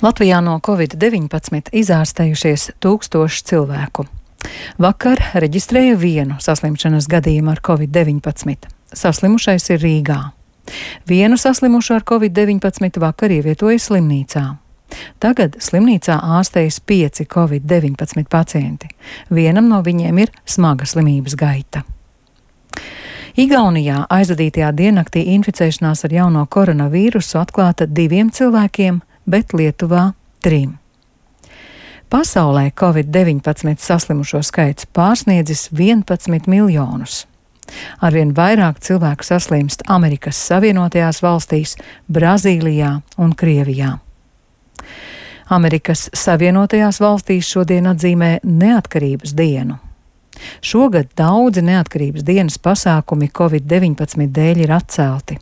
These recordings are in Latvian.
Latvijā no Covid-19 izārstējušies 1000 cilvēku. Vakar reģistrēja vienu saslimšanas gadījumu ar Covid-19. Saslimušais ir Rīgā. Vienu saslimušo ar Covid-19 vakar ievietoja slimnīcā. Tagad slimnīcā ārstējas 5 Covid-19 pacienti. Vienam no viņiem ir smaga slimības gaita. Igaunijā aizvadītajā diennaktī inficēšanās ar jauno koronavīrusu atklāta 2 cilvēkiem, bet Lietuvā 3. Pasaulē Covid-19 saslimušo skaits pārsniedzis 11 miljonus. Arvien vairāk cilvēku saslimst Amerikas Savienotajās valstīs, Brazīlijā un Krievijā. Amerikas Savienotajās valstīs šodien atzīmē Neatkarības dienu. Šogad daudzi neatkarības dienas pasākumi Covid-19 dēļ ir atcelti.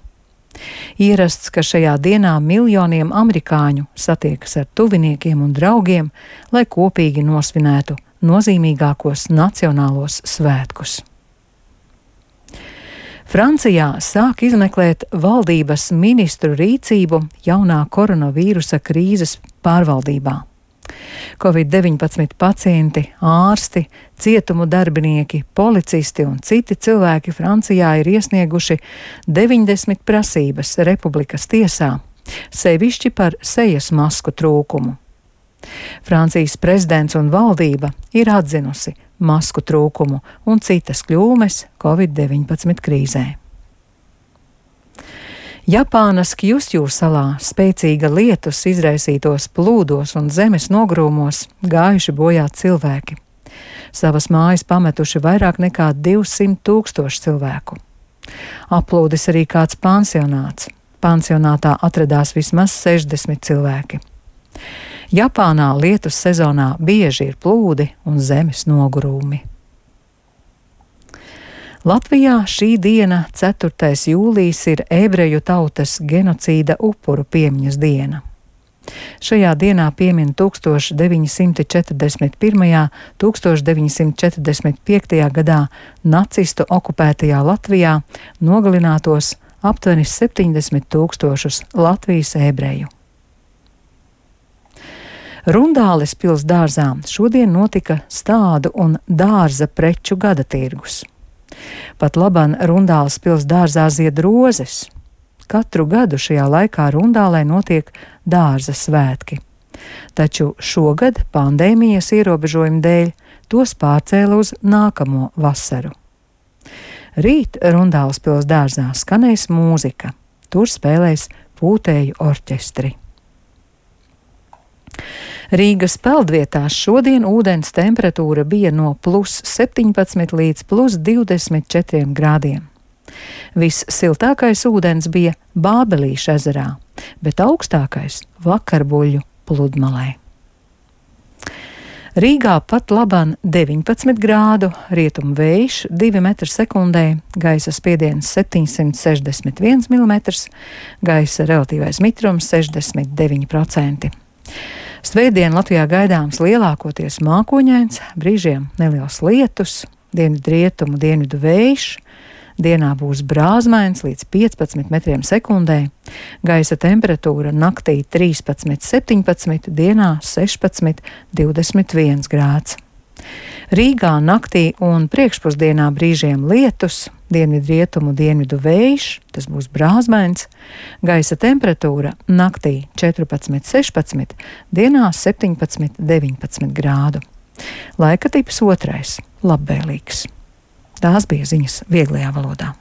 Ierasts, ka šajā dienā miljoniem amerikāņu satiekas ar tuviniekiem un draugiem, lai kopīgi nosvinētu nozīmīgākos nacionālos svētkus. Francijā sāk izmeklēt valdības ministru rīcību jaunā koronavīrusa krīzes pārvaldībā. Covid-19 pacienti, ārsti, cietumu darbinieki, policisti un citi cilvēki Francijā ir iesnieguši 90 prasības Republikas tiesā, sevišķi par sejas masku trūkumu. Francijas prezidents un valdība ir atzinusi masku trūkumu un citas kļūmes Covid-19 krīzē. Japānas Kjusju salā spēcīga lietus izraisītos plūdos un zemes nogrūmos gājuši bojā cilvēki. Savas mājas pametuši vairāk nekā 200 000 cilvēku. Aplūdis arī kāds pansionāts. Pansionātā atradās vismaz 60 cilvēki. Japānā lietus sezonā bieži ir plūdi un zemes nogrūmi. Latvijā šī diena, 4. jūlijas, ir ebreju tautas genocīda upuru piemiņas diena. Šajā dienā piemin 1941. 1945. gadā nacistu okupētajā Latvijā nogalinātos aptuveni 70 000 Latvijas ebreju. Rundāles pils dārzā šodien notika stādu un dārza preču gada tirgus. Pat laban Rundāles pils dārzā zied rozes. Katru gadu šajā laikā Rundālē notiek dārza svētki. Taču šogad pandēmijas ierobežojumu dēļ tos pārcēla uz nākamo vasaru. Rīt Rundāles pils dārzā skanēs mūzika. Tur spēlēs pūtēju orķestri. Rīgas peldvietās šodien ūdens temperatūra bija no +17 līdz +24 grādiem. Vissiltākais ūdens bija Bābelīša ezerā, bet augstākais Vakarbuļu pludmalē. Rīgā pat laban 19 grādu, rietumu vējš 2 m/sekundē, gaisa spiediens 761 mm, gaisa relatīvais mitrums 69%. Svētdien Latvijā gaidāms lielākoties mākoņains, brīžiem neliels lietus, dienvidrietumu dienvidu vējš, dienā būs brāzmains līdz 15 m/sekundē, gaisa temperatūra naktī 13–17, dienā 16–21 grāds. Rīgā naktī un priekšpusdienā brīžiem lietus, dienvidrietumu dienvidu vējš, tas būs brāzmains, gaisa temperatūra naktī 14–16, dienā 17–19 grādu. Laika tips 2. labvēlīgs. Tās bija ziņas vieglajā valodā.